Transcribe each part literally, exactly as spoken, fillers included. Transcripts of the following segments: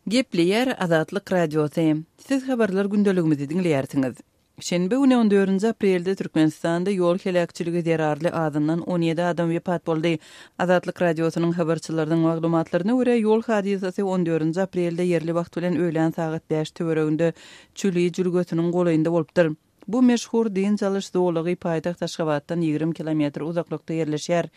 Gepleýär Azatlyk Radiosy. Siz habarlar gündeligimizi diňleýärsiňiz. Şenbe güni on dördünji aprelde Türkmenistanda ýol heläkçiligi zerarly azyndan on ýedi adam wepat boldy. Azatlyk Radiosynyň habarçylarynyň maglumatlaryna görä, ýol hadysasy on dördünji aprelde ýerli wagt bilen öýlän sagat bäş töwereginde Çüli jülgesiniň golaýynda bolupdyr. Bu meşhur dynç alyş zolagy paýtagt Aşgabatdan ýigrimi kilometr uzaklykda ýerleşýär.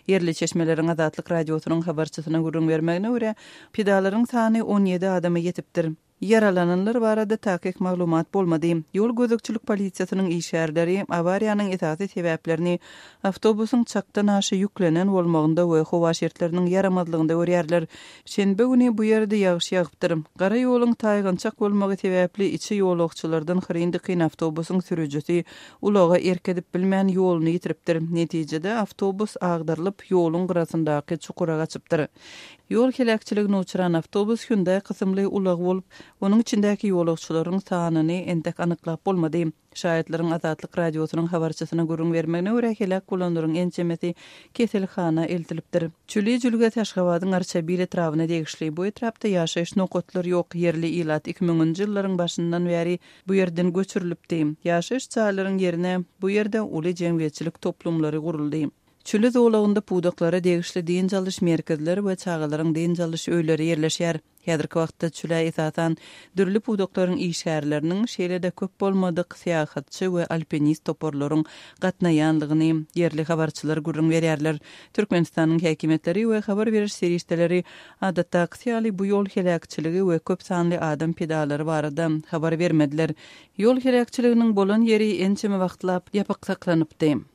Ýerli çeşmeleriň Azatlyk Radiosynyň habarçysyna gürrüň bermegine görä, pidalaryň sany on ýedi adama ýetipdir. Ýaralananlar barada takyk maglumat bolmady. Ýol gözegçilik polisiýasynyň işgärleri awariýanyň esasy sebäplerini awtobusyň çakdan aşa ýüklenen bolmagynda we howa şertleriniň ýaramazlygynda görýärler. Şenbe güni bu ýerde ýagyş ýagypdyr. Gara ýoluň taýgançak bolmagy sebäpli içi ýolagçylardan hyryn-dykyn awtobusyň sürüjisi ulaga erk edip bilmän ýoluny ýitiripdir. Netijede awtobus agdarylyp, ýoluň gyrasyndaky çukura gaçypdyr. Ýol heläkçiligine uçran awtobus Hyundai kysymly ulag bolup, onuň içindäki ýolagçylaryň sanyny entek anyklap bolmady. Şaýatlaryň Azatlyk Radiosynyň habarçysyna gürrüň bermegine görä, heläk bolanlaryň ençemesi keselhana eltilipdir. Çüli jülgesi Aşgabadyň Arçabil etrabyna degişli. Bu etrapda ýaşaýyş nokatlary ýok. Ýerli ilat iki müňünji ýyllaryň başyndan bäri bu ýerden göçürilipdi. Ýaşaýyş jaýlaryň ýerine bu ýerde uly jemgyýetçilik toplumlary guruldy. Çüli zolagynda pudaklara degişli dynç alyş merkezleri we çagalaryň dynç alyş öýleri ýerleşýär. Häzirki wagtda çülä esasan dürli pudaklaryň işgärleriniň, şeýle-de köp bolmadyk syýahatçy we alpinist toparlaryň gatnaýanlygyny ýerli habarçylar gürrüň berýärler. Türkmenistanyň häkimiýetleri we habar beriş serişdeleri adatdakysy ýaly bu ýol heläkçiligi we köp sanly adam pidalary barada habar bermediler. Ýol heläkçiliginiň bolan ýeri ençeme wagtlap ýapyk saklanypdy.